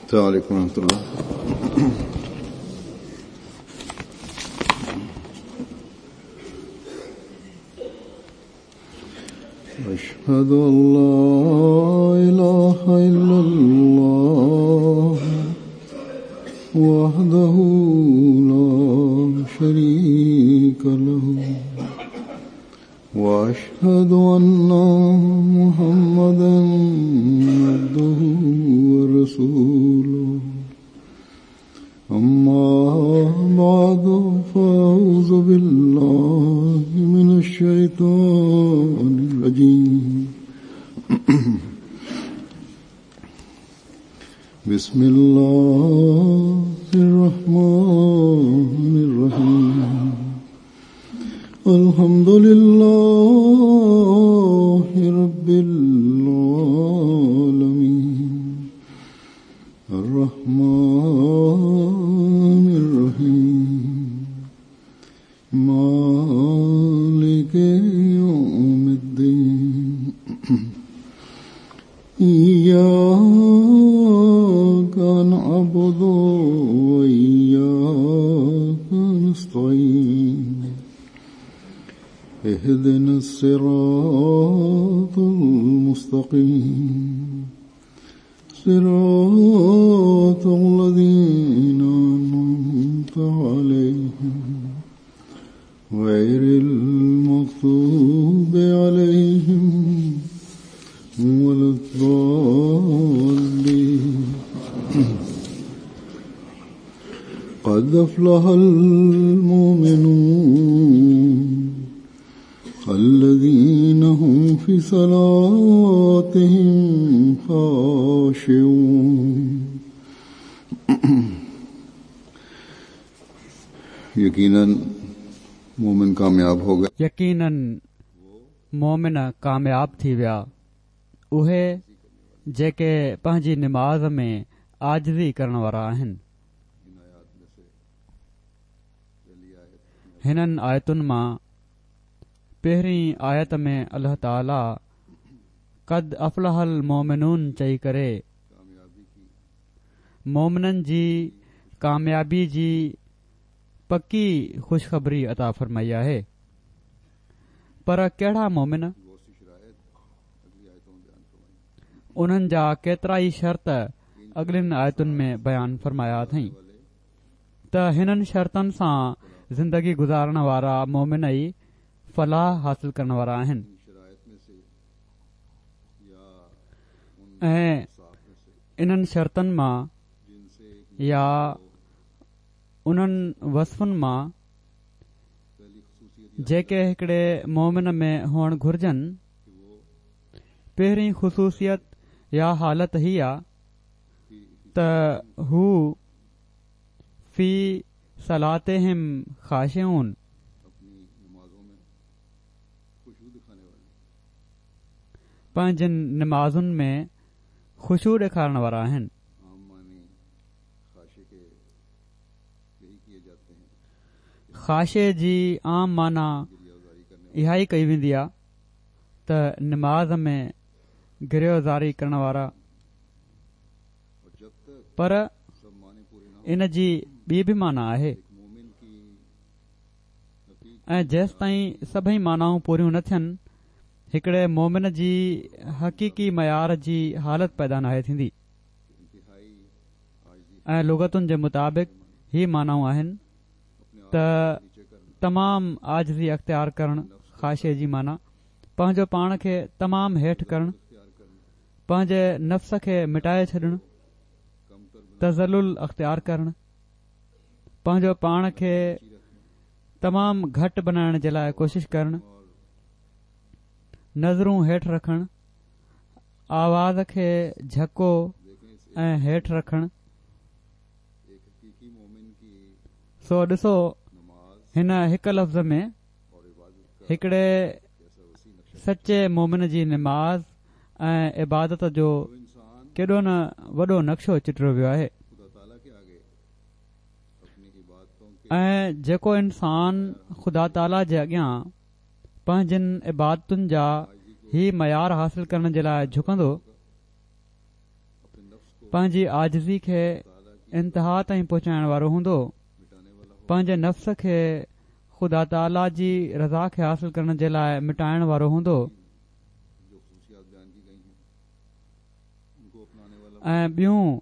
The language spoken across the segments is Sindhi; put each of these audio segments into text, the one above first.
السلام عليڪم ورحمة الله. أشهد أن لا إله إلا الله وحده لا شريك له وأشهد أن محمدا عبده ورسوله أما بعد فأعوذ بالله من الشيطان الرجيم بسم الله الرحمن الرحيم الحمد لله رب العالمين الرحمن الرحيم مالك يوم الدين إياك نعبد وإياك نستعين اهدنا الصراط المستقيم صراط الذين أنعمت عليهم غير المغضوب عليهم ولا الضالين قد أفلح المؤمنون الذين هم في صلاتهم خاشعون. यकीनन मोमिन कामयाब हो गए. यकीनन मोमिन कामयाब थी विया उहे जेके पंहिंजी नमाज़ में आजिज़ी करण वारा आहिनि. हिननि आयतुनि मां पहिरीं आयत में अल्लाह ताला قد افلح المؤمنون चई करे मोमिननि जी कामयाबी जी पकी खुशखबरी अता फरमाई आहे. पर कहिड़ा मोमिन? उन्हनि जा केतिरा ई शर्त अॻिलनि आयतुनि में बयान फरमाया अथई त हिननि शर्तनि सां ज़िंदगी गुज़ारण वारा मोमिन ई फलाह हासिल करण वारा आहिनि ऐं इन्हनि शर्तनि मां या उन्हनि वस्फुनि मां जेके हिकिड़े मोमिन में हुअणु घुर्जनि, पहिरीं ख़ुसूसियत या हालत ही आहे त हू फी सलातिहिम ख़ाशिऊन, पंहिंजनि नमाज़ुनि में ख़ुशू ॾेखारण वारा आहिनि. ख़ाशे जी आम माना इहा ई कई वेंदी आहे त नमाज़ में गिरयोज़ारी करण वारा, पर इन जी ॿी बि माना आहे ऐं जेसिताईं सभई मानाऊं पूरियूं न थियनि हिकिड़े मोमिन जी हक़ीक़ी मयार जी हालत पैदा नाहे थींदी. ऐं लुगतुनि जे मुताबिक़ ही मानाऊं आहिनि त तमाम आजिज़ी अख़्तियार करण ख़ाशे जी माना, पंहिंजो पाण खे तमाम हेठि करण, पंहिंजे नफ़्स खे मिटाए छॾणु, तज़ल्लुल अख़्तियार करण, पंहिंजो पाण खे तमाम घटि बणाइण जे लाइ कोशिश करण, नज़रूं हेठि रखण, आवाज़ खे झको ऐं हेठि रखण. सो ॾिसो हिन हिकु लफ़्ज़ में हिकिड़े सचे मोमिन जी नमाज़ ऐं इबादत जो केॾो न वॾो नक्शो चिटियो वियो आहे. ऐं जेको इंसान ख़ुदा ताला जे अॻियां पंहिंजनि इबादतुनि जा ही मयार हासिल करण जे लाइ झुकंदो, پنهنجي عاجزي کي انتها تائين پهچائڻ وارو هوندو، پنهنجي نفس کي خدا تعاليٰ جي رضا کي حاصل ڪرڻ جي لاء مٽائڻ وارو هوندو ۽ ٻيون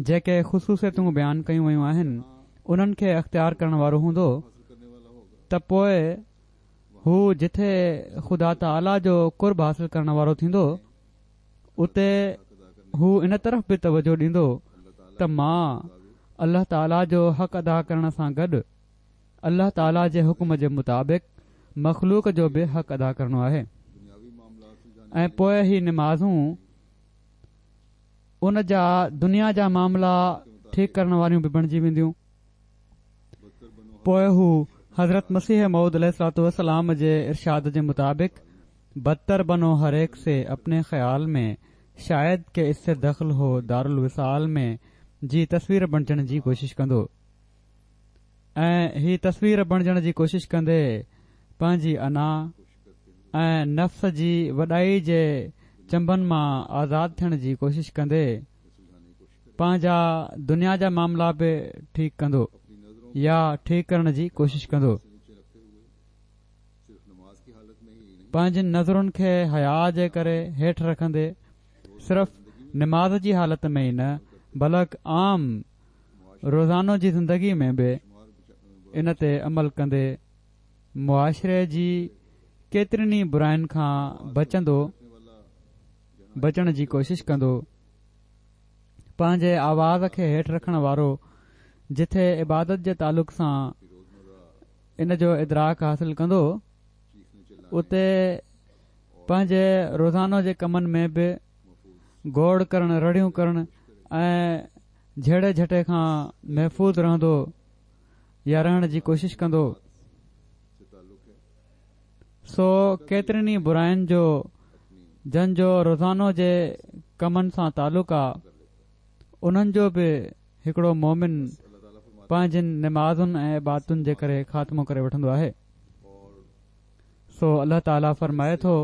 جيڪي خصوصيتون بيان ڪيون ويون آهن انهن کي اختيار ڪرڻ وارو هوندو ته پوء هو جٿي خدا تعاليٰ جو قرب حاصل ڪرڻ وارو ٿيندو اتي هو ان طرف به توجه ڏيندو ته مان الله تعاليٰ جو حق ادا ڪرڻ سان گڏ الله تعاليٰ جي حڪم جي مطابق مخلوق جو به حق ادا ڪرڻو آهي ۽ پوء هي نمازون ان جا دنيا جا معاملا ٺيڪ ڪرڻ واريون به بڻجي وينديون. پوء هو حضرت مسيح موعود عليه الصلوة والسلام جي ارشاد جي مطابق بدتر بنو هر ايڪ سي اپني خيال ۾ شايد ڪه اس سي دخل هو دارالوصال ۾ جي تصوير بڻجڻ جي ڪوشش ڪندو ۽ هي تصوير بڻجڻ جي ڪوشش ڪندي پنهنجي انا ۽ نفس جي وڏائي جي چنبن مان آزاد ٿيڻ جي ڪوشش ڪندي پنهنجا دنيا جا معاملا به ٺيڪ ڪندو يا ٺيڪ ڪرڻ جي ڪوشش ڪندو. پنهنجين نظرن کي حياء جي ڪري هيٺ رکندي صرف نماز جي حالت ۾ ئي نه بلڪ عام روزانو جي زندگي ۾ به ان تي عمل ڪندي معاشري جي ڪيترين ئي براين کان بچندو بچڻ جي ڪوشش ڪندو. پنهنجي آواز کي هيٺ رکڻ وارو جٿي عبادت جي تعلق سان ان جو ادراڪ حاصل ڪندو اتي پنهنجي روزانو جي ڪمن ۾ به گوڙ ڪرڻ رڙيون ڪرڻ ۽ جهيڙي جهٽي کان محفوظ رهندو يا رهڻ جي ڪوشش ڪندو سو ڪيترين ئي براين جو جن جو روزانو جي ڪمن سان تعلق آ انهن جو به هڪڙو مومن پنهنجين نمازن ۽ عبادتن جي ڪري خاتمو ڪري وٺندو آهي. سو الله تعالي فرمائي ٿو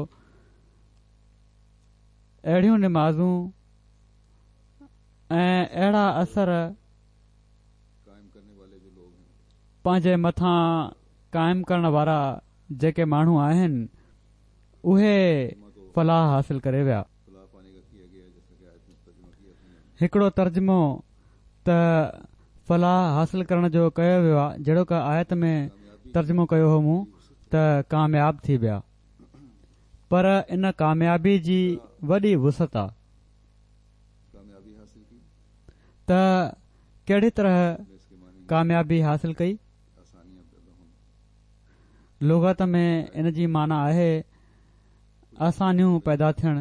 اهڙيون نمازون ۽ اهڙا اثر پنهنجي مٿان قائم ڪرڻ وارا جيڪي ماڻهو آهن اهي فلاح حاصل ڪري ويا. هڪڙو ترجمو ته فلاح حاصل ڪرڻ جو ڪيو ويو آهي جهڙوڪ آيت ۾ ترجمو ڪيو هو مون ته ڪامياب ٿي ويا پر ان ڪاميابي جي وڏي وسعت آ ته ڪهڙي طرح ڪاميابي حاصل ڪئي لغت ۾ ان جي معنيٰ آهي آسانيون پيدا ٿيڻ،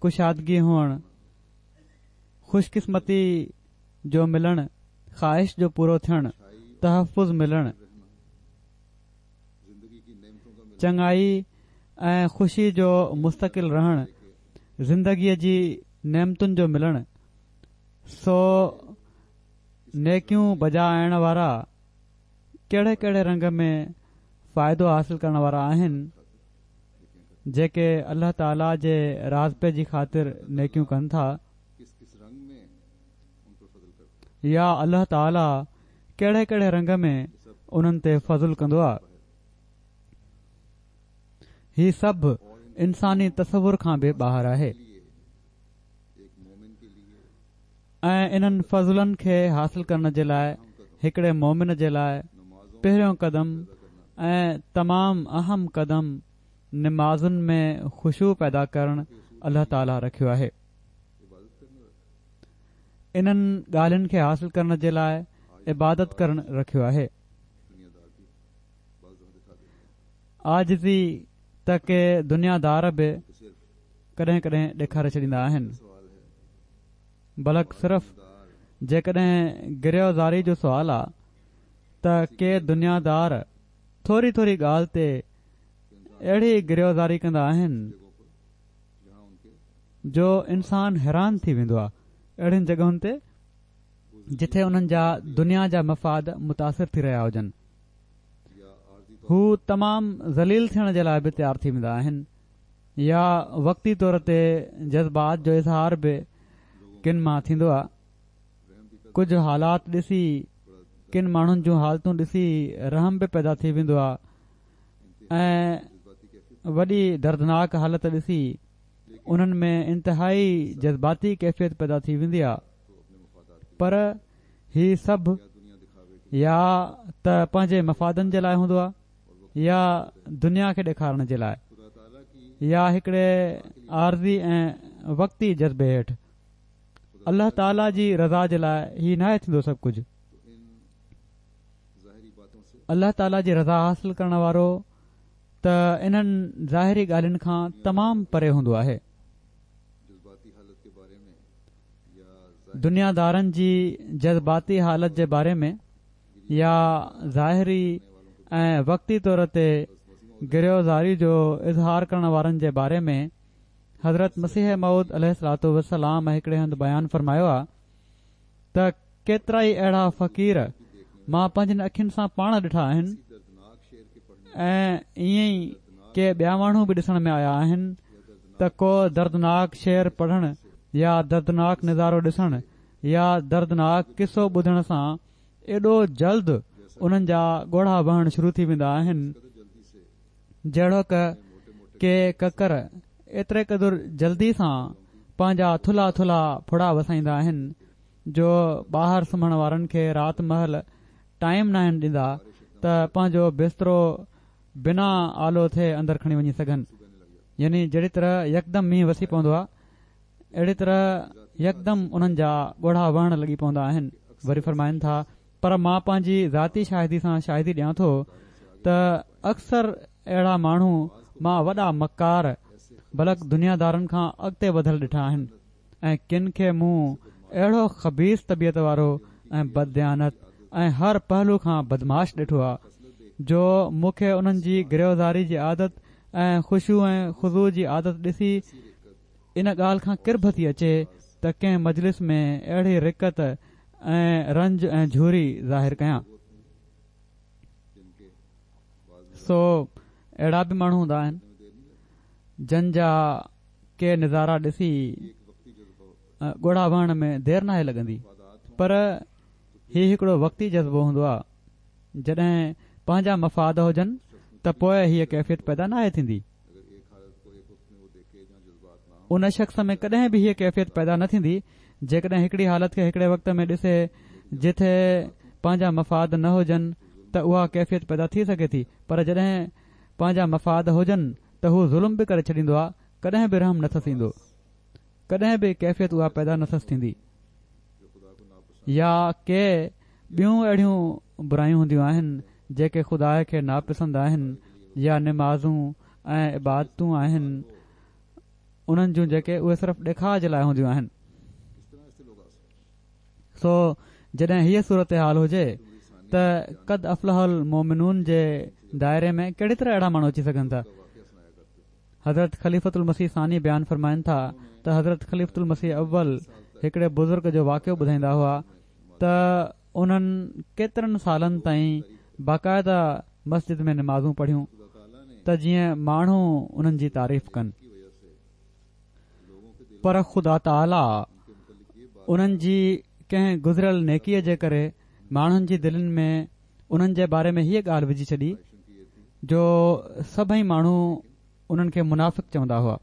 ڪشادگي هئڻ، خوش قسمتي جو ملڻ، خواهش جو پورو ٿيڻ، تحفظ ملڻ، چڱائي ۽ خوشي جو مستقل رهڻ، زندگيء جي نعمتن جو ملڻ، سو نيڪيون بجا آڻڻ وارا ڪهڙي ڪهڙي رنگ ۾ فائدو حاصل ڪرڻ وارا آهن جيڪي الله تعالي جي راضپي جي خاطر نيڪيون ڪن ٿا يا الله تعالي ڪهڙي ڪهڙي رنگ ۾ انهن تي فضل ڪندو آهي هي سڀ انساني تصور کان به ٻاهر آهي ۽ انهن فضلن کي حاصل ڪرڻ جي لاء هڪڙي مومن جي لاء پهريون قدم ۽ تمام اهم قدم نمازن ۾ خشوع پيدا ڪرڻ الله تعالي رکيو آهي. انهن ڳالهين کي حاصل ڪرڻ جي لاء عبادت ڪرڻ رکيو آهي. عاجزي ته ڪي دنيا دار به ڪڏهن ڪڏهن ڏيکاري ڇڏيندا آهن. بلڪ صرف جيڪڏهن گريه و زاري جو سوال آ ته ڪي دنيا دار ٿوري ٿوري ڳالهه تي اهڙي گريه و زاري ڪندا آهن جو انسان حيران ٿي ويندو آ اهڙين جڳهن تي جٿي انهن جا دنيا جا مفاد متاثر ٿي رهيا هجن هو تمام ذليل ٿيڻ جي لاء به تيار ٿي ويندا آهن يا وقتي طور تي جذبات جو اظهار به ڪن مان ٿيندو آ. ڪجهه حالات ڏسي ڪن ماڻهن جون حالتون ڏسي رحم به پيدا ٿي ويندو آ ۽ وڏي دردناڪ حالت ڏسي انهن ۾ انتهائي جذباتي ڪيفيت پيدا ٿي ويندي آ پر هي سڀ يا ته پنهنجي مفادن جي لاء هوندو آ يا دنيا کي ڏيکارڻ جي لاء يا هڪڙي عارضي ۽ وقتي جذبي هيٺ الله تعاليٰ جي رضا جي لاء هي ناهي ٿيندو سڀ ڪجهه الله تعاليٰ جي رضا حاصل ڪرڻ وارو ته انهن ظاهري ڳالهين کان تمام پري هوندو آهي دنيا دارن جي جذباتي حالت جي باري ۾ يا ظاهري ۽ وقتي طور تي گريه و زاري جو اظهار ڪرڻ وارن جي باري ۾ حضرت مسيح موعود عليه الصلوة والسلام هڪڙي هنڌ بيان فرمايو آ ته ڪيترائي اهڙا فقير مان پنهنجين اکين سان پاڻ ڏٺا آهن ۽ ائين ئي ڪي ٻيا ماڻهو به ڏسڻ ۾ آيا آهن ته ڪو دردناڪ شعر پڙهڻ يا دردناڪ نظارو ڏسڻ يا دردناڪ قصو ٻڌڻ سان ايڏو جلد انهن جا ڳوڙها وهڻ شروع ٿي ويندا آهن جهڙوڪ ڪي ڪڪر ايتري قدر جلدي سان پنهنجا ٿلها ٿلها ڦڙا وسائيندا آهن جو ٻاهر سمهڻ وارن کي رات مهل ٽائيم ناهن ڏيندا ته پنهنجو بسترو بنا آلو ٿئي اندر کڻي وڃي سگهن يعني جهڙي طرح يڪدم مينهن وسي پوندو آهي اهڙي طرح يڪدم انهن جا ڳوڙها وهڻ لڳي پوندا آهن. وري فرمائن ٿا، پر مان پنهنجي ذاتي شاهدي سان شاهدي ڏيان ٿو ته اڪثر اهڙا ماڻهو مان وڏا مڪار بلڪ دنيا دارن کان اڳتي وڌل ڏٺا آهن ۽ ڪن کي مون اهڙو خبيث طبيعت وارو ۽ بدديانت ۽ هر پهلو کان بدمعاش ڏٺو آهي جو مون کي انهن جي گريه و زاري جي عادت ۽ خشوع ۽ خضوع جي عادت ڏسي ان ڳالهه کان ڪرڀ ٿي اچي ته ڪنهن مجلس ۾ اهڙي رقت ۽ رنج ۽ جهوري ظاهر ڪيان. سو اهڙا به ماڻهو هوندا آهن جن جا ڪي نظارا ڏسي ڳوڙها وهڻ ۾ دير ناهي لڳندي پر هي هڪڙو وقتي جذبو هوندو آهي جڏهن پنهنجا مفاد هجن ته پوء هيء ڪيفيت پيدا ناهي ٿيندي. ان شخص ۾ ڪڏهن به هيء ڪيفيت پيدا نه ٿيندي، جيڪڏهن هڪڙي حالت کي هڪڙي وقت ۾ ڏسي جتي پنهنجا مفاد نه هجن ته اها ڪيفيت پيدا ٿي سگهي ٿي پر جڏهن پنهنجا مفاد هجن ته هو ظلم به ڪري ڇڏيندو آ ڪڏهن به رحم نه ٿس ايندو ڪڏهن به ڪيفيت اها پيدا نه ٿس ٿيندي. يا ڪي ٻيون اهڙيون برايون هونديون آهن جيڪي خدا کي ناپسند آهن يا نمازون ۽ عبادتون آهن انهن جون جيڪي اهي صرف ڏيکاء جي لاء هونديون آهن سو جڏهن هيء صورتحال هجي ته قد افلح المومنون جي دائري ۾ ڪهڙي طرح اهڙا ماڻهو اچي سگهن ٿا حضرت خليفة المسيح ثاني بيان فرمائن ٿا ته حضرت خليفة المسيح اول هڪڙي بزرگ جو واقعو ٻڌائيندا هئا ته انهن ڪيترن سالن تائين باقاعده مسجد ۾ نمازون پڙهيون ته جيئن ماڻهو انهن جي تعريف ڪن پر خدا تعاليٰ انهن جي ڪنهن گذريل نيڪيء جي ڪري ماڻهن جي دلين ۾ انهن جي باري ۾ هيء ڳالهه وجهي ڇڏي جو سڀئي ماڻهو انهن کي منافق چوندا هئا.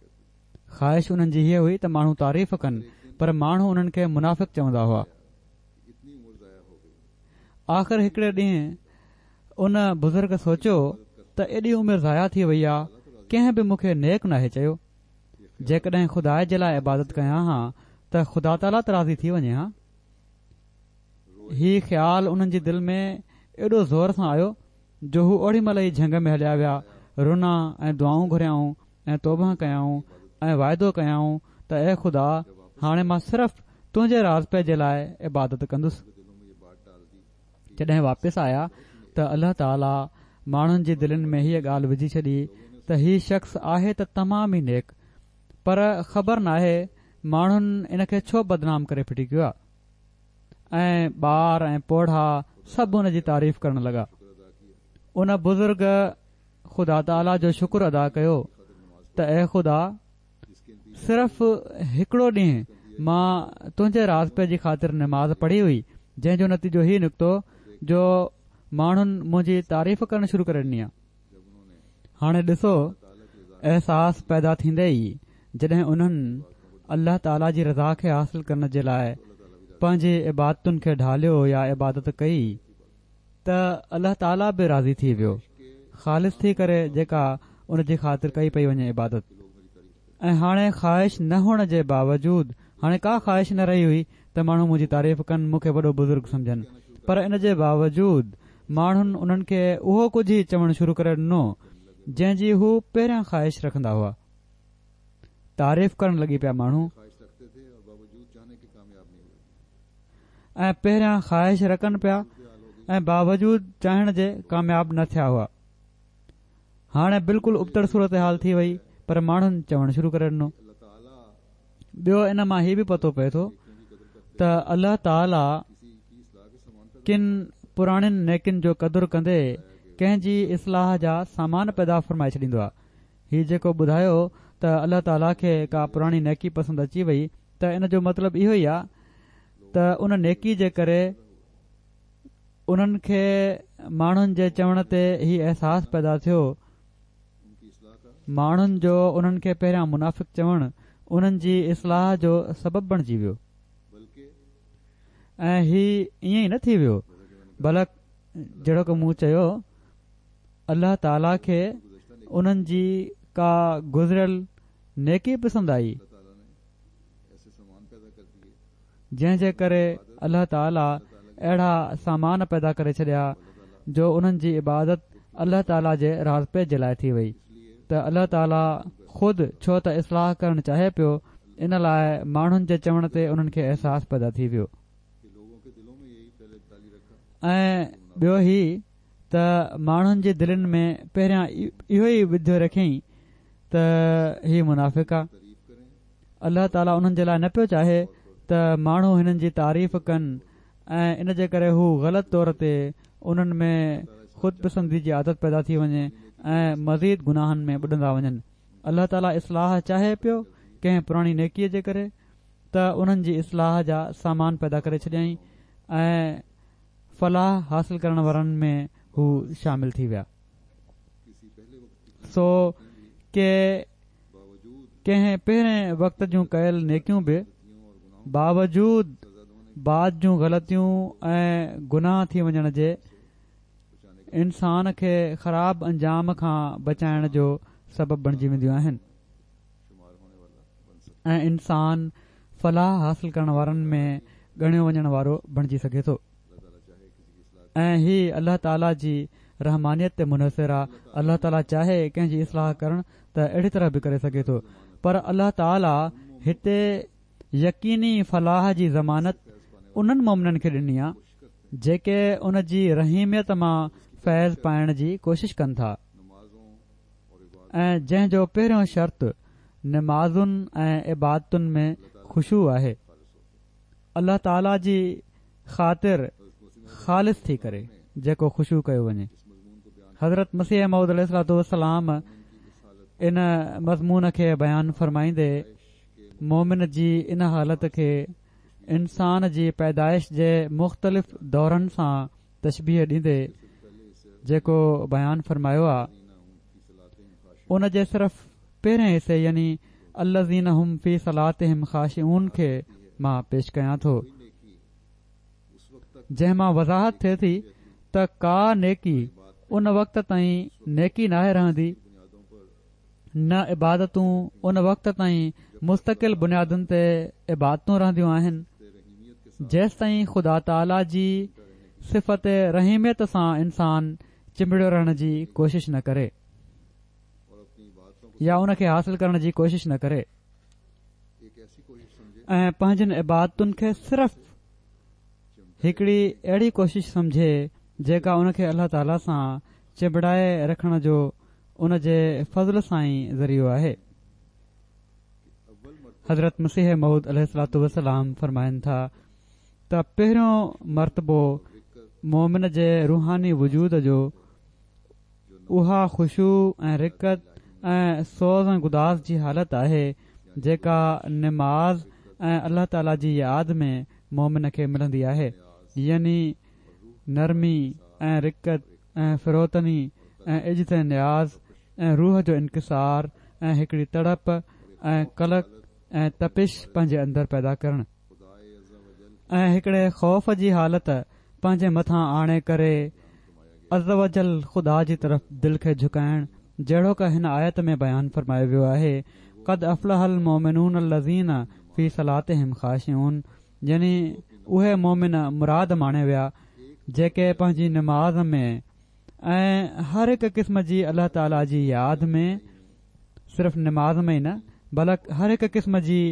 خواهش انهن جي هيء هئي ته ماڻهو تعريف ڪن پر ماڻهو انهن کي منافق چوندا هئا. آخر هڪڙي ڏينهن ان بزرگ سوچيو ته ايڏي عمر ضايع ٿي وئي آ ڪنهن به مون کي نيڪ ناهي چيو. جيڪڏهن خدا جي لاء عبادت ڪيان ها ته خدا تعاليٰ ته راضي ٿي وڃي ها. هي خيال انهن جي دل ۾ ايڏو زور سان آيو جو هو اوڏي مهل ئي جهنگ ۾ هليا ويا، رنا ۽ دعائون گهريائون ۽ توبهه ڪيائون ۽ واعدو ڪيائون ته اي خدا! هاڻي مان صرف تنهنجي راضپي جي لاء عبادت ڪندس. جڏهن واپس آيا ته الله تعاليٰ ماڻهن جي دلين ۾ هيء ڳالهه وجهي ڇڏي ته هي شخص آهي ته تمام ئي نيڪ پر خبر ناهي ماڻهن ان کي ڇو بدنام ڪري ڦٽي ڪيو آهي. ۽ ٻار ۽ پوڙها سڀ ان جي تعريف ڪرڻ لڳا. ان بزرگ خدا تعاليٰ جو شڪر ادا ڪيو ته اي خدا! صرف هڪڙو ڏينهن مان تنهنجي راضپي جي خاطر نماز پڙهي هئي جنهن جو نتيجو هي نڪتو جو ماڻهن منهنجي تعريف ڪرڻ شروع ڪري ڏني آ. هاڻي ڏسو احساس پيدا ٿيندي ئي جڏهن انهن الله تعاليٰ جي رضا کي حاصل ڪرڻ جي لاء پنهنجي عبادتن کي ڍاليو يا عبادت ڪئي ته الله تعاليٰ به راضي ٿي ويو خالص ٿي ڪري جيڪا ان جي خاطر ڪئي پئي وڃي عبادت ۽ هاڻي خواهش نه هئڻ جي باوجود هاڻي ڪا خواهش نه رهي هئي ته ماڻهو منهنجي تعريف ڪن مون کي وڏو بزرگ سمجهن پر ان جي باوجود ماڻهن انهن کي اهو ڪجهه ئي چوڻ شروع ڪري ڏنو جنهن جي هو پهريان خواهش رکندا هئا. تعريف ڪرڻ لڳي پيا ماڻهو ۽ پهريان خواهش رکن پيا ۽ باوجود چاهڻ جي ڪامياب نه ٿيا هئا. هاڻي بلڪل ابتڙ صورتحال ٿي وئي پر ماڻهن چوڻ شروع ڪري ڏنو. ٻيو ان مان هي به پتو پئي ٿو ته الله تعاليٰ ڪن پراڻين نيڪين جو قدر ڪندي ڪنهن جي اصلاح جا سامان پيدا فرمائي ڇڏيندو آهي. هي جيڪو ٻڌايو ته الله تعاليٰ کي ڪا پراڻي نيڪي پسند اچي وئي ته ان جو مطلب اهو ئي آهي ته ان نيڪي جي ڪري انهن کي ماڻهن جي چوڻ تي هي احساس پيدا ٿيو ماڻهن جو انهن کي پهريان منافق چوڻ انهن جي اصلاح جو سبب بڻجي ويو ۽ هي ائين ئي نه ٿي ويو بلڪ جهڙوڪ مون چيو الله تعالي کي انهن جي ڪا گذريل نيڪي پسند آئي جنهن جي ڪري الله تعالي اهڙا سامان پيدا ڪري ڇڏيا جو انهن جي عبادت الله تعالي جي راضپي جي لاء ٿي وئي ته الله تعالي خود ڇو ته اصلاح ڪرڻ چاهي پيو ان لاء ماڻهن جي چوڻ تي انهن کي احساس پيدا ٿي ويو ۽ ٻيو هي ته ماڻهن جي دلين ۾ پهريان اهو ئي وڌيو رکيائين ته هي منافق آ الله تعاليٰ انهن جي لاء نه پيو چاهي ته ماڻهو هنن جي تعريف ڪن ۽ ان جي ڪري هو غلط طور تي انهن ۾ خود پسندي جي عادت پيدا ٿي وڃي ۽ مزيد گناهن ۾ ٻڏندا وڃن. الله تعاليٰ اصلاح چاهي پيو ڪنهن پراڻي نيڪيء جي ڪري ته انهن جي اصلاح جا سامان پيدا ڪري ڇڏيائين ۽ فلاح حاصل ڪرڻ وارن ۾ هو شامل ٿي ويا. سو ڪي ڪنهن پهرين وقت جون ڪيل نيڪيون به باوجود بعد جون غلطيون ۽ گناهه ٿي وڃڻ جي انسان کي خراب انجام کان بچائڻ جو سبب بڻجي وينديون آهن ۽ انسان فلاح حاصل ڪرڻ وارن ۾ ڳڻيو وڃڻ وارو بڻجي سگهي ٿو. ۽ هي الله تعالي جي رحمانيت تي منحصر آ، الله تعالي چاهي ڪنهن جي اصلاح ڪرڻ ته اهڙي طرح به ڪري سگهي ٿو پر الله تعالي هتي يقيني فلاح جي ضمانت انهن مؤمنن کي ڏني آ جيڪي ان جي رحيميت مان فيض پائڻ جي ڪوشش ڪن ٿا ۽ جنهن جو پهريون شرط نمازن ۽ عبادتن ۾ خشوع آهي. الله تعالي جي خاطر خالص ٿي ڪري جيڪو خشوع ڪيو وڃي. حضرت مسيح موعود عليه الصلوة والسلام ان مضمون کي بيان فرمائيندي مومن جي ان حالت کي انسان جي پيدائش جي مختلف دورن سان تشبيهه ڏيندي جيڪو بيان فرمايو آ ان جي صرف پهرين حصي يعني الذين هم في صلاتهم خاشعون کي مان پيش ڪيان ٿو جنهن مان وضاحت ٿئي ٿي ته ڪا نيڪي ان وقت تائين نيڪي ناهي رهندي نه عبادتون ان وقت تائين مستقل بنيادن تي عبادتون رهنديون آهن جيستائين خدا تعاليٰ جي صفت رحيميت سان انسان چنبڙيو رهڻ جي ڪوشش نه ڪري يا ان کي حاصل ڪرڻ جي ڪوشش نه ڪري ۽ پنهنجن عبادتن کي صرف هڪڙي اهڙي ڪوشش سمجهي جيڪا ان کي الله تعاليٰ سان چنبڙائي رکڻ جو ان جي فضل سان ئي ذريعو آهي. حضرت مسيح موعود عليه الصلوة والسلام فرمائن ٿا ته پهريون مرتبو مومن جي روحاني وجود جو اها خشوع ۽ رقت ۽ سوز ۽ گداز جي حالت آهي جيڪا نماز ۽ الله تعاليٰ جي ياد ۾ مؤمن کي ملندي آهي يعني نرمي ۽ رقت ۽ فروتني ۽ عجز ۽ نياز ۽ روح جو انڪسار ۽ هڪڙي تڙپ ۽ قلق ۽ تپش پنهنجي اندر پيدا ڪرڻ ۽ هڪڙي خوف جي حالت پنهنجي مٿان آڻي ڪري عزّوجلّ خدا جي طرف دل کي جهڪائڻ جهڙوڪ هن آيت ۾ بيان فرمايو ويو آهي قد افلح المومنون الذين في صلاتهم خاشعون يعني اهي مؤمن مراد ماڻي ويا جيڪي پنهنجي نماز ۾ ۽ هر هڪ قسم جي الله تعالي جي ياد ۾ صرف نماز ۾ ئي نه بلڪ هر هڪ قسم جي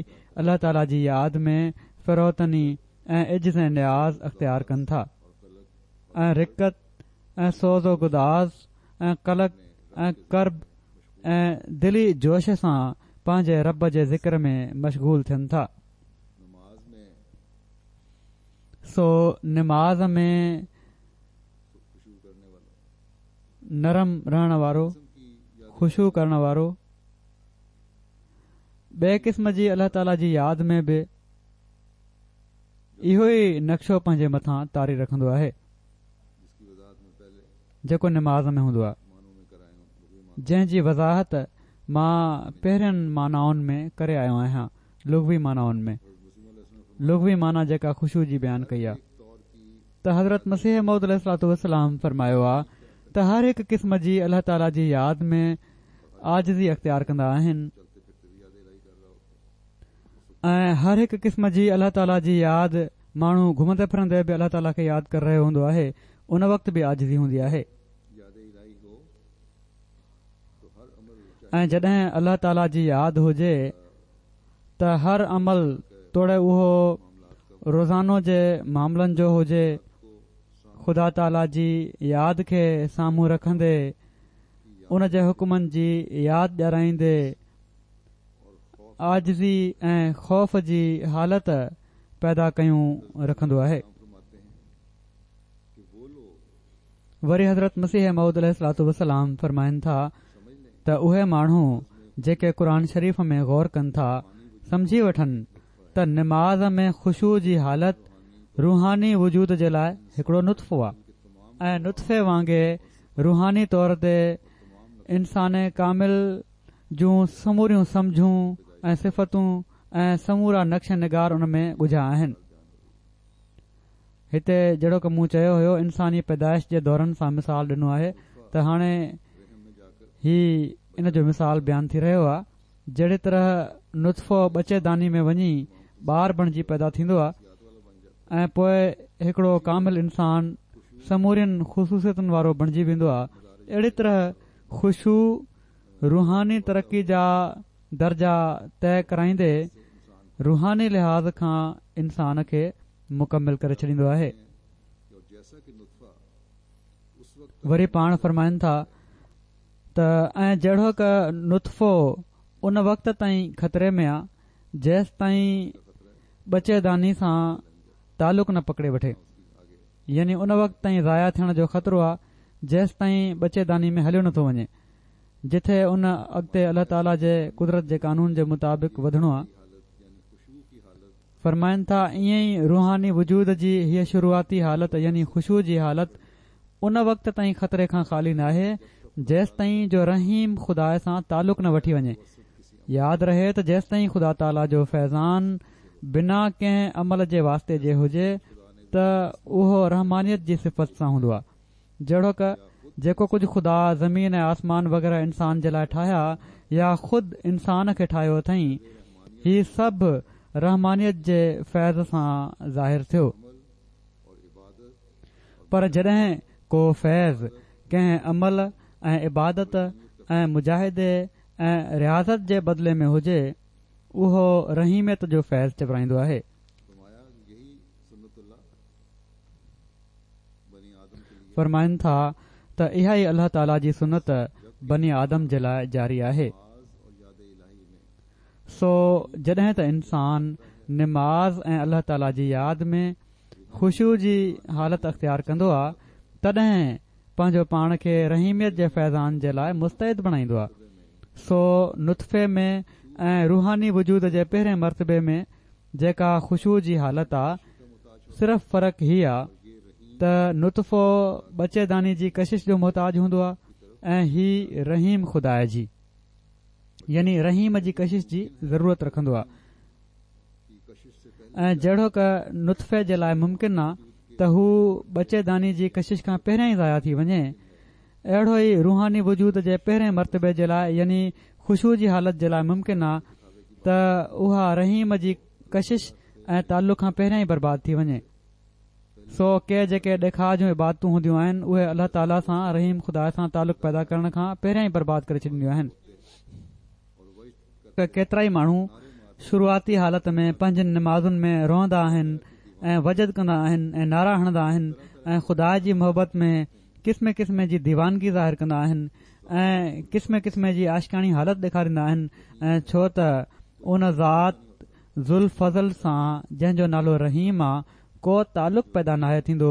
الله تعالي جي ياد ۾ فروتني ۽ عجز ۽ نياز اختيار ڪن ٿا ۽ رقت ۽ سوز و گداز ۽ قلق ۽ ڪرب ۽ دلي جوش سان پنهنجي رب جي ذڪر ۾ مشغول ٿين ٿا. سو نماز ۾ نرم رهڻ وارو، خشوع ڪرڻ وارو، ٻئي قسم جي الله تعاليٰ جي ياد ۾ به اهو ئي نقشو پنهنجي مٿان طاري رکندو آهي جيڪو نماز ۾ هوندو آهي جنهن جي وضاحت مان پهرين معنائن ۾ ڪري آيو آهيان لغوي معنائن ۾ لغوي معنيٰ جيڪا خشوع جي بيان ڪئي آهي ته حضرت مسيح موعود عليه الصلوة والسلام فرمايو آهي ته هر هڪ قسم جي الله تعاليٰ جي ياد ۾ عاجزي اختيار ڪندا آهن ۽ هر هڪ قسم جي الله تعاليٰ جي ياد ماڻهو گهمندي ڦرندي به الله تعاليٰ کي ياد ڪري رهيو هوندو آهي ان وقت به عاجزي هوندي آهي ۽ جڏهن الله تعاليٰ جي ياد هجي ته هر عمل توڙي اهو روزانو جي معاملن جو هجي خدا تعاليٰ جي ياد کي سامهون رکندي ان جي حڪمن جي ياد ڏيارائيندي عاجزي ۽ خوف جي حالت پيدا ڪيون رکندو آهي. وري حضرت مسيح موعود عليه الصلوة والسلام فرمائن ٿا ته اهي ماڻهو جيڪي قرآن شريف ۾ غور ڪن ٿا سمجهي وٺن ته نماز ۾ خشوع جي حالت روحاني وجود جي لاء هڪڙو نطفو آهي ۽ نطفي وانگي روحاني طور تي انسان ڪامل جون سموريون سمجهون ۽ صفتون ۽ سمورا نقش نگار ان ۾ ڳجها آهن. هتي جهڙوڪ مون چيو هيو انساني پيدائش جي دورن سان مثال ڏنو آهي ته هاڻي هي ان جو مثال بيان ٿي رهيو آهي جهڙي طرح نطفو ٻچي داني ۾ وڃي ٻار بڻجي پيدا ٿيندو آهي ۽ پوء هڪڙو ڪامل انسان سمورين خصوصيتن وارو بڻجي ويندو آهي اهڙي طرح خشوع روحاني ترقي جا درجا طئي ڪرائيندي روحاني لحاظ کان انسان کي مڪمل ڪري ڇڏيندو آهي. وري پاڻ فرمائن ٿا ته ۽ جهڙوڪ نطفو ان وقت تائين خطري ۾ آ جيستائين ٻچي داني سان تعلق نه پڪڙي وٺي يعني ان وقت تائين ضايع ٿيڻ جو خطرو آ جيستائين ٻچي داني ۾ هليو نٿو وڃي جتي ان اڳتي الله تعاليٰ جي قدرت جي قانون جي مطابق وڌڻو آ. فرمائن ٿا ائين ئي روحاني وجود جي هيء شروعاتي حالت يعني خشوع جي حالت ان وقت تائين خطري کان خالي ناهي جيستائين جو رحيم خدا سان تعلق نه وٺي وڃي. ياد رهي ته جيستائين خدا تعاليٰ جو فيضان بنا ڪنهن عمل جي واسطي جي هجي ته اهو رحمانيت جي صفت سان هوندو آ. جهڙوڪ، جيڪو ڪجهه خدا زمين ۽ آسمان وغيره انسان جي لاء ٺاهيا يا خود انسان کي ٺاهيو اٿئين، هي سڀ رحمانيت جي فيض سان ظاهر ٿيو. پر جڏهن ڪو فيض ڪنهن عمل ۽ عبادت ۽ مجاهدي ۽ رياضت جي بدلي ۾ هجي، اهو رحيميت جو فيض چورائيندو آهي. فرمائن ٿا ته اها ئي الله تعاليٰ جي سنت بني آدم جي لاء جاري آهي. سو جڏهن ته انسان نماز ۽ الله تعاليٰ جي ياد ۾ خشوع جي حالت اختيار ڪندو آ تڏهن پنهنجو پاڻ کي رحيميت جي فيضان جي لاء مستعد بڻائيندو آ. سو نطفي ۾ ۽ روحاني وجود جي پهرين مرتبي ۾ جيڪا خشوع جي حالت آ، صرف فرق هي آ ته نطفو ٻچي داني جي ڪشش جو محتاج هوندو آ ۽ هي رحيم خدا جي يعني رحيم جي ڪشش جي ضرورت رکندو آ ۽ جهڙوڪ نطفي جي لاء ممڪن آ ته هو ٻچي داني جي ڪشش کان پهريان ئي ضايع ٿي وڃي اهڙو ئي روحاني وجود جي پهرين مرتبي جي لاء يعني خشوع جي حالت جي لاء ممڪن آ ته اها رحيم جي ڪشش ۽ تعلق کان پهريان ئي برباد ٿي وڃي. سو ڪي جيڪي ڏيکاء جون عبادتون هونديون آهن اهي الله تعاليٰ سان رحيم خدا سان تعلق پيدا ڪرڻ کان پهريان ئي برباد ڪري ڇڏينديون آهن. ڪيترائي ماڻهو شروعاتي حالت ۾ پنهنجين نمازن ۾ روئندا آهن ۽ وجد ڪندا آهن ۽ نعرا هڻندا آهن ۽ خدا جي محبت ۾ قسم قسم جي ديوانگي ظاهر ڪندا آهن ۽ قسم قسم جي عاشقاڻي حالت ڏيکاريندا آهن ۽ ڇو ته ان ذات ذوالفضل سان جنهن جو نالو رحيم آ ڪو تعلق پيدا ناهي ٿيندو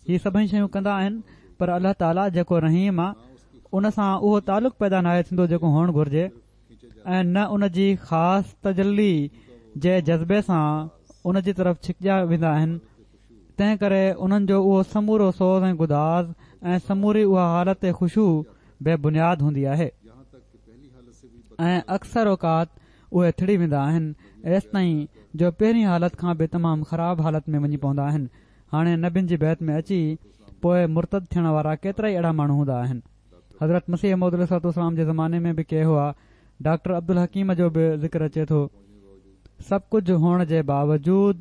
هي سڀئي شيون ڪندا آهن پر الله تعاليٰ جيڪو رحيم آ ان سان اهو تعلق پيدا ناهي ٿيندو جيڪو هئڻ گهرجي ۽ نه ان جي خاص تجلي جي جذبي سان ان جي طرف ڇڪجا ويندا آهن تنهن ڪري انهن جو اهو سمورو سوز ۽ گداز ۽ سموري اها حالت خشوع بي بنياد هوندي آهي ۽ اڪثر اوقات اهي ٿڙي ويندا آهن ايستائين جو پهرين حالت کان به تمام خراب حالت ۾ وڃي پوندا آهن هاڻي نبين جي بيعت ۾ اچي پوء مرتد ٿيڻ وارا ڪيترائي اهڙا ماڻهو هوندا آهن حضرت مسيح موعود عليه الصلوة والسلام جي زماني ۾ به ڪي هئا. ڊاڪٽر عبدالحڪيم جو به ذڪر اچي ٿو. سڀ ڪجهه هئڻ جي باوجود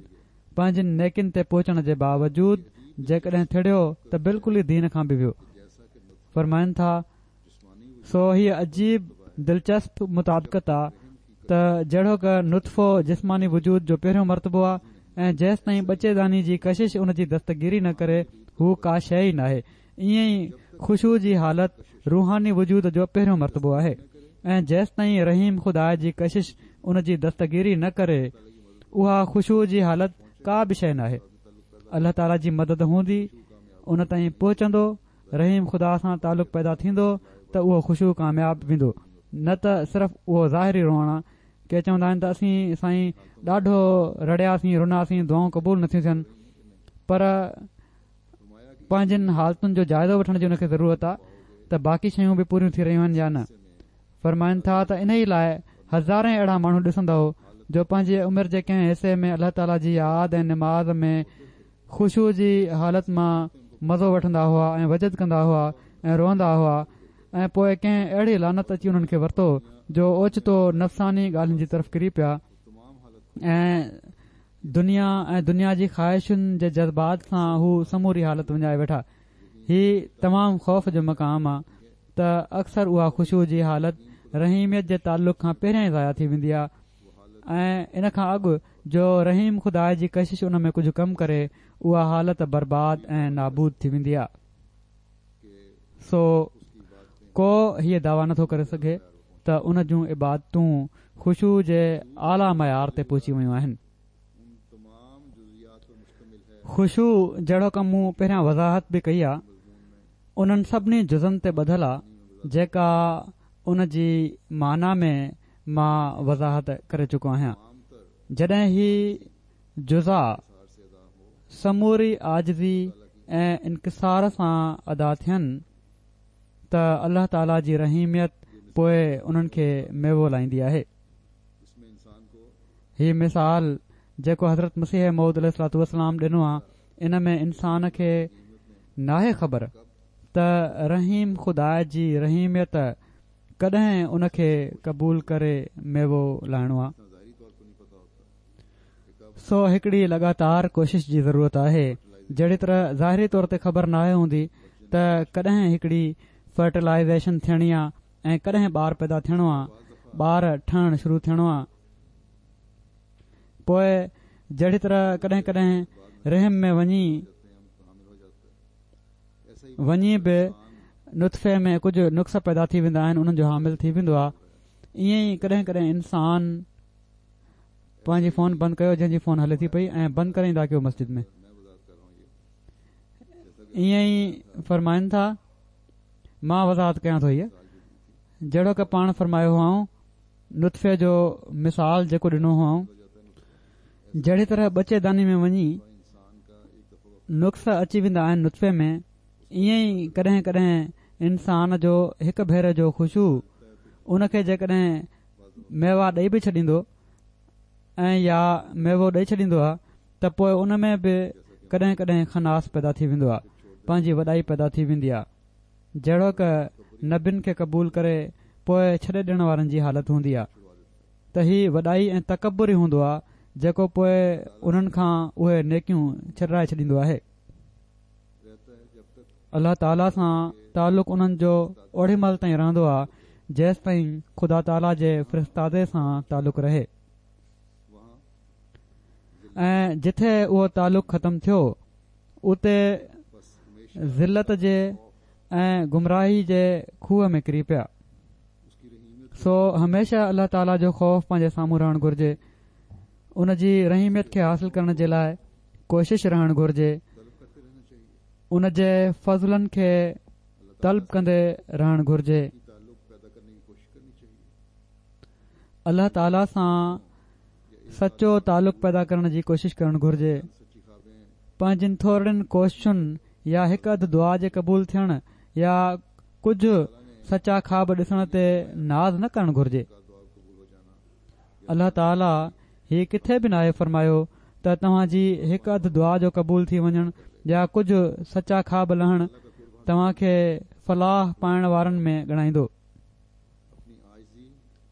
پنهنجين نيڪين تي پهچڻ جي باوجود جيڪڏهن ٿڙيو ته بلڪل ئي دين کان به ويو. فرمائن ٿا، سو هيء عجيب دلچسپ مطابقت آ ته جهڙوڪ نطفو جسماني وجود جو پهريون مرتبو آ ۽ جيستائين ٻچي داني جي ڪشش ان جي دستگيري نه ڪري هو ڪا شيء ئي ناهي ائين ئي خشوع جي حالت روحاني وجود جو پهريون مرتبو آهي ۽ جيستائين رحيم خدا جي ڪشش ان جي دستگيري نه ڪري اها خشوع جي حالت ڪا به شيء ناهي. الله تعالي جي مدد هوندي ان تائين پهچندو رحيم خدا سان تعلق پيدا ٿيندو ته اهو خشوع ڪامياب ويندو نه ته صرف اهو ظاهري روئڻ آ ڪي چوندا آهن ته اسين سائين ڏاڍو رڙياسين رناسين دعائون قبول نٿيون ٿين پر پنهنجين حالتن جو جائزو وٺڻ جي ان کي ضرورت آ ته باقي شيون به پوريون ٿي رهيون آهن يا نه. فرمائن ٿا ته انهي لاء هزارين اهڙا ماڻهو ڏسندؤ جو پنهنجي عمر جي ڪنهن حصي ۾ الله تعالي جي ياد ۽ نماز ۾ خشوع جي حالت مان مزو وٺندا هئا ۽ وجد ڪندا هئا ۽ روئندا هئا ۽ پوء ڪنهن اهڙي لعنت اچي انهن کي ورتو جو اوچتو نفساني ڳالهين جي طرف ڪري پيا ۽ دنيا ۽ دنيا جي خواهشن جي جذبات سان هو سموري حالت وڃائي ويٺا. هي تمام خوف جو مقام آ ته اڪثر اها خشوع جي حالت رحيميت جي تعلق کان پهريان ئي ضايع ٿي ويندي آ ۽ ان کان اڳ جو رحيم خدا جي ڪشش ان ۾ ڪجهه ڪم ڪري اها حالت برباد ۽ نابود ٿي ويندي آ. سو ڪو هيء دعويٰ نٿو ڪري سگهي ته ان جون عبادتون خشوع جي اعليٰ معيار تي پهچي ويون آهن. خشوع جهڙوڪ مون پهريان وضاحت به ڪئي آ، انهن سڀني جزن تي ٻڌل آ، جيڪا ان جي معنيٰ ۾ مان وضاحت ڪري چڪو آهيان. جڏهن هي جزا سموري عاجزي ۽ انڪسار سان ادا ٿين ته الله تعالي جي رحيميت پوء انهن کي ميوو لائيندي آهي. هي مثال جيڪو حضرت مسيح موعود عليه الصلوة والسلام ڏنو آ ان ۾ انسان کي ناهي خبر ته رحيم خدا جي رحيميت ڪڏهن ان کي قبول ڪري ميوو لائڻو آ. سو هڪڙي لڳاتار ڪوشش جي ضرورت آهي. جهڙي طرح ظاهري طور تي خبر ناهي هوندي ته ڪڏهن هڪڙي فرٽيلائيزيشن ٿيڻي آ ۽ ڪڏهن ٻار پيدا ٿيڻو آ، ٻار ٺهڻ شروع ٿيڻو آ. پوء جهڙي طرح ڪڏهن ڪڏهن رحم ۾ وڃي وڃي به نطفي ۾ ڪجهه نقص پيدا ٿي ويندا آهن انهن جو حامل ٿي ويندو آ ائين ئي ڪڏهن ڪڏهن انسان پنهنجي فون بند ڪيو جنهن جي فون هلي ٿي پئي ۽ بند ڪري ايندا ڪيو مسجد ۾ ائين ئي فرمائن ٿا مان وضاحت ڪيان ٿو هيء جهڙوڪ پاڻ فرمايو هئائون نطفي جو مثال جيڪو ڏنو هئائون. جهڙي طرح ٻچي داني ۾ وڃي نقص اچي ويندا آهن نطفي ۾ ائين ئي ڪڏهن ڪڏهن انسان جو هڪ ڀيري جو خشوع ان کي جيڪڏهن ميوا ڏئي به ڇڏيندو ۽ يا ميوو ڏئي ڇڏيندو آهي ته پوء ان ۾ به ڪڏهن ڪڏهن خناس پيدا ٿي ويندو آهي پنهنجي وڏائي پيدا ٿي ويندي آهي جهڙوڪ نبين کي قبول ڪري پوء ڇڏي ڏيڻ وارن جي حالت هوندي آهي ته هي وڏائي ۽ تڪبر ئي هوندو آهي جيڪو پوء انهن کان اهي نيڪيون ڇڏرائي ڇڏيندو آهي. الله تعاليٰ سان تعلق انهن جو اوڏي مهل تائين رهندو آهي جيستائين خدا تعاليٰ جي فرستادي سان تعلق رهي ۽ جٿي اهو تعلق ختم ٿيو اتي ذلت جي ۽ گمراهي جي کوهه ۾ ڪري پيا. سو هميشه الله تعاليٰ جو خوف پنهنجي سامهون رهڻ گهرجي. ان جي رحيميت کي حاصل ڪرڻ جي لاء ڪوشش رهڻ گهرجي. ان جي فضلن کي طلب ڪندي رهڻ گهرجي. الله تعاليٰ سان سچو تعلق پيدا ڪرڻ جي ڪوشش ڪرڻ گهرجي. پنهنجين ٿورڙين ڪوششن يا هڪ اڌ دعا جي قبول ٿيڻ يا ڪجهه سچا خواب ڏسڻ تي ناز نه ڪرڻ گهرجي. الله تعاليٰ هي ڪٿي به ناهي فرمايو ته توهان جي هڪ اڌ دعا جو قبول ٿي وڃڻ يا ڪجهه سچا خواب لهڻ توهان کي فلاح پائڻ وارن ۾ ڳڻائيندو.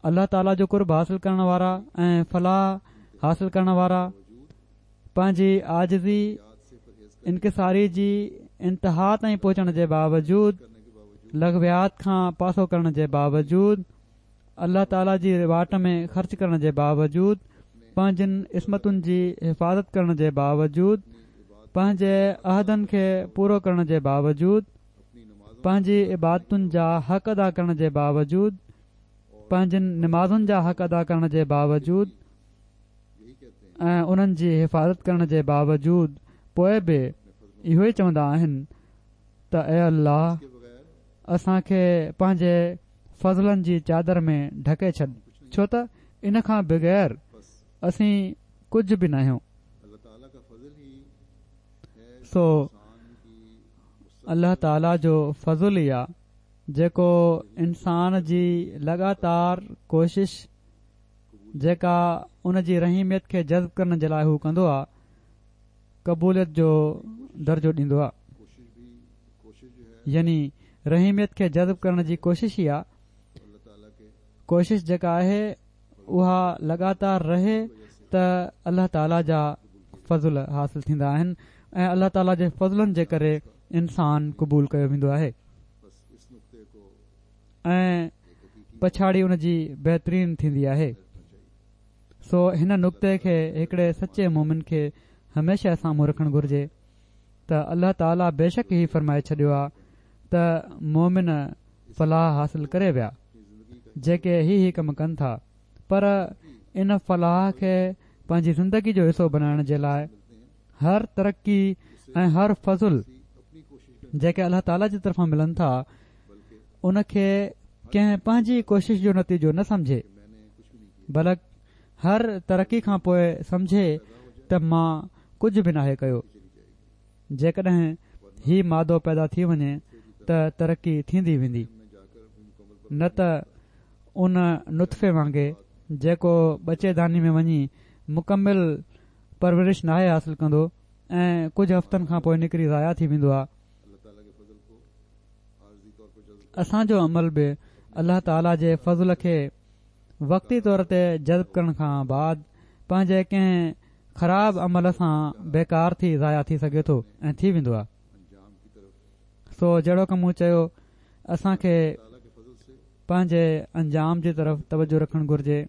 الله تعاليٰ جو قرب حاصل ڪرڻ وارا ۽ فلاح حاصل ڪرڻ وارا پنهنجي عاجزي انڪساري جي انتها تائين پهچڻ جي باوجود لغويات کان پاسو ڪرڻ جي باوجود الله تعاليٰ جي واٽ ۾ خرچ ڪرڻ جي باوجود پنهنجن عصمتن جي حفاظت ڪرڻ جي باوجود پنهنجي عهدن کي پورو ڪرڻ جي باوجود پنهنجي عبادتن جا حق ادا ڪرڻ جي باوجود، پنهنجين نمازن جا حق ادا ڪرڻ جي باوجود ۽ انهن جي حفاظت ڪرڻ جي باوجود پوء به اهو ئي چوندا آهن ته اي الله! اسان کي پنهنجي فضلن جي چادر ۾ ڍڪي ڇڏ ڇو ته ان کان بغير اسين ڪجهه به ناهيون. سو الله تعاليٰ جو فضل ئي آ جيڪو انسان جي لڳاتار ڪوشش جيڪا ان جي رحيميت کي جذب ڪرڻ جي لاء هو ڪندو آ قبوليت جو درجو ڏيندو آ يعني رحيميت کي جذب ڪرڻ جي ڪوشش ئي آ ڪوشش جيڪا آهي اها لڳاتار رهي ته الله تعاليٰ جا فضل حاصل ٿيندا آهن ۽ الله تعاليٰ جي فضلن جي ڪري انسان قبول ڪيو ويندو آهي ۽ پڇاڙي ان جي بهترين ٿيندي آهي سو هن نقطي کي هڪڙي سچي مومن کي هميشه سامهون رکڻ گهرجي ته الله تعاليٰ بيشڪ هي فرمائي ڇڏيو آهي ته مومن فلاح حاصل ڪري ويا جيڪي هي هي ڪم ڪن ٿا پر ان فلاح کي پنهنجي زندگي جو حصو بنائڻ جي لاء هر ترقي ۽ هر فضل جيڪي الله تعاليٰ جي طرفان ملن ٿا ان کي ڪنهن پنهنجي ڪوشش جو نتيجو نه سمجهي بلڪ هر ترقي کان پوء سمجهي ته مان ڪجهه به ناهي ڪيو جيڪڏهن هي مادو پيدا ٿي وڃي ته ترقي ٿيندي ويندي نه ته ان نطفي وانگي جيڪو ٻچي داني ۾ وڃي مڪمل پرورش ناهي حاصل ڪندو ۽ ڪجهه هفتن کان پوء نڪري ضايع ٿي ويندو آهي. اسان جو عمل به الله تعالي جي فضل کي وقتي طور تي جذب ڪرڻ کان بعد پنهنجي ڪنهن خراب عمل سان بيڪار ٿي ضايع ٿي سگهي ٿو ۽ ٿي ويندو آهي. سو جهڙوڪ مون چيو اسان کي پنهنجي انجام جي طرف توجه رکڻ گهرجي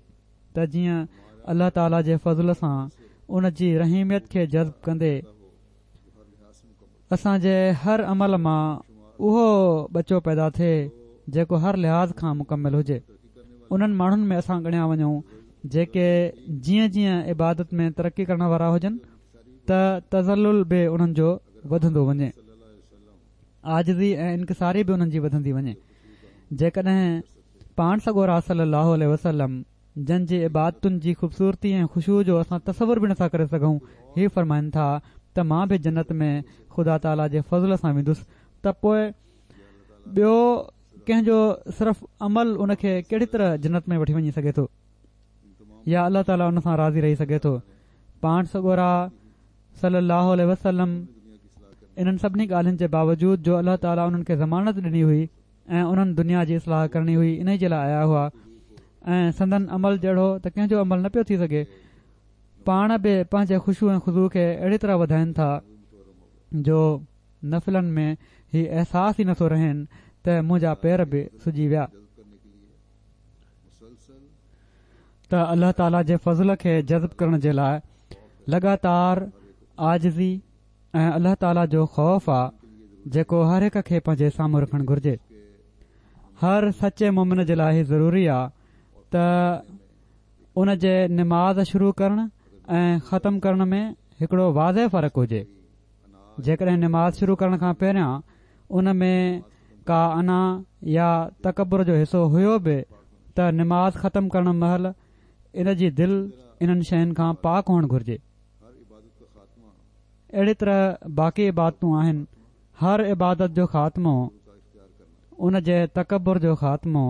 ته جيئن الله تعالي جي فضل سان ان جي رحيميت کي جذب ڪندي اسان جي هر عمل مان اهو ٻچو پيدا ٿئي جيڪو هر لحاظ کان مڪمل هجي. انهن ماڻهن ۾ اسان ڳڻيا وڃون جيڪي جيئن جيئن عبادت ۾ ترقي ڪرڻ وارا هجن ته تذلل به انهن جو وڌندو وڃي. عاجزي ۽ انڪساري به انهن جي وڌندي وڃي. جيڪڏهن پاڻ سڳورا صلي الله عليه وسلم. جن جي عبادتن جي خوبصورتي ۽ خشوع جو اسان تصور به نٿا ڪري سگهون، هي فرمائن ٿا ته مان به جنت ۾ خدا تعاليٰ جي فضل سان ويندس ته پوء ٻيو ڪنهن جو صرف عمل ان کي ڪهڙي طرح جنت ۾ وٺي وڃي سگهي ٿو يا الله تعاليٰ ان سان راضي رهي سگهي ٿو. پاڻ سڳورا صلي الله عليه وسلم انهن سڀني ڳالهين جي باوجود جو الله تعاليٰ انهن کي ضمانت ڏني هئي ۽ انهن دنيا جي اصلاح ڪرڻي هئي انهي جي لاء آيا هئا ۽ سندن عمل جهڙو ته ڪنهن جو عمل نه پيو ٿي سگهي پاڻ به پنهنجي خشوع ۽ خضوع کي اهڙي طرح وڌائين ٿا جو نفلن ۾ هي احساس ئي نٿو رهين ته منهنجا پير به سجي ويا ته الله تعالي جي فضل کي جذب ڪرڻ جي لاء لڳاتار عاجزي ۽ الله تعالي جو خوف آ جيڪو هر هڪ کي پنهنجي سامهون رکڻ گهرجي. هر سچي مومن جي لاء هي ضروري آ ته ان جي نماز شروع ڪرڻ ۽ ختم ڪرڻ ۾ هڪڙو واضح فرق هجي. جيڪڏهن نماز شروع ڪرڻ کان پهريان ان ۾ ڪا انا يا تڪبر جو حصو هيو به ته نماز ختم ڪرڻ مهل ان جي دل انهن شين کان پاڪ هئڻ گهرجي. اهڙي طرح باقي عبادتون آهن، هر عبادت جو خاتمو ان جي تڪبر جو خاتمو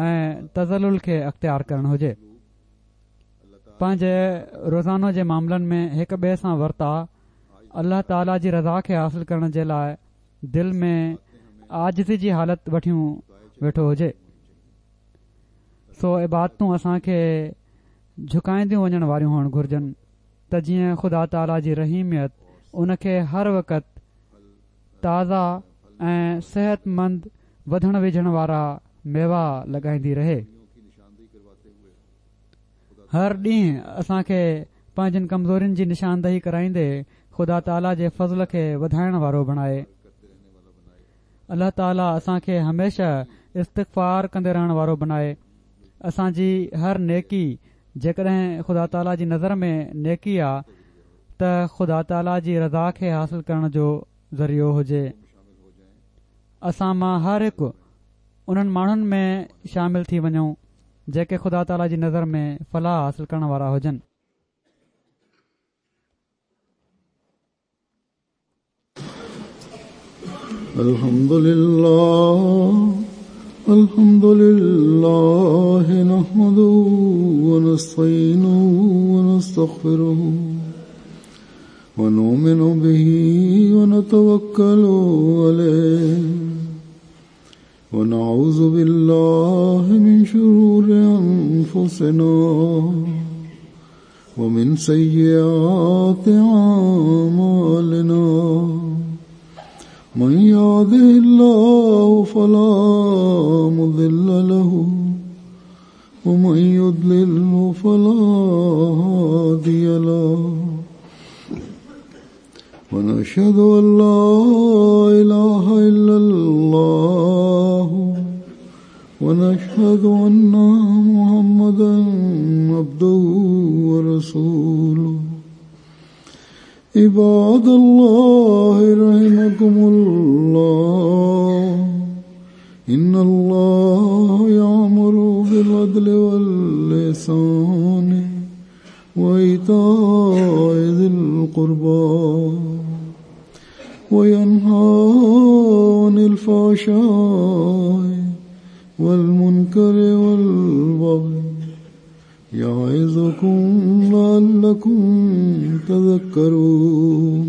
۽ تذلل کي اختيار ڪرڻ هجي. پنهنجي روزانو جي معاملن ۾ هڪ ٻئي سان ورتاء الله تعالي جي رضا کي حاصل ڪرڻ جي لاء دل ۾ عاجزي جي حالت وٺيون ويٺو هجي. سو عبادتون اسان کي جهڪائينديون وڃڻ واريون هئڻ گهرجن ته جيئن خدا تعاليٰ جي رحيميت ان کي هر وقت تازا ۽ صحتمند وڌڻ ويجهڻ وارا ميوا لڳائيندي رهي. هر ڏينهن اسان کي پنهنجين ڪمزورين جي نشاندهي ڪرائيندي خدا تعاليٰ جي فضل کي وڌائڻ وارو بڻائي. الله تعاليٰ اسان کي هميشه استغفار ڪندي رهڻ وارو بنائي. اسان جي هر نيڪي جيڪڏهن خدا تعاليٰ جي نظر ۾ نيڪي آ ته خدا تعاليٰ جي رضا کي حاصل ڪرڻ جو ذريعو هجي. اسان مان هر هڪ انهن ماڻهن ۾ شامل ٿي وڃون جيڪي خدا تعاليٰ جي نظر ۾ فلاح حاصل ڪرڻ وارا هجن. الحمد لله الحمد لله نحمده ونستعينه ونستغفره ونؤمن به ونتوكل عليه ونعوذ بالله من شرور أنفسنا ومن سيئات أعمالنا من يهده الله فلا مضل له ومن يضلله فلا هادي له ونشهد أن لا إله إلا الله ونشهد أن محمدا عبده ورسوله عباد الله رحمكم الله إن الله يأمر بالعدل واللسان وإيتاء ذي القربى وينهى عن الفحشاء والمنكر والبغي يعظكم لعلكم تذكرون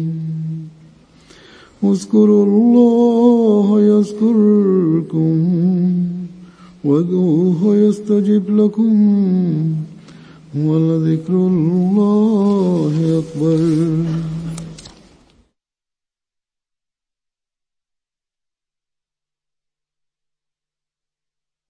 اذكروا الله يذكركم وادعوه يستجب لكم ولذكر الله أكبر.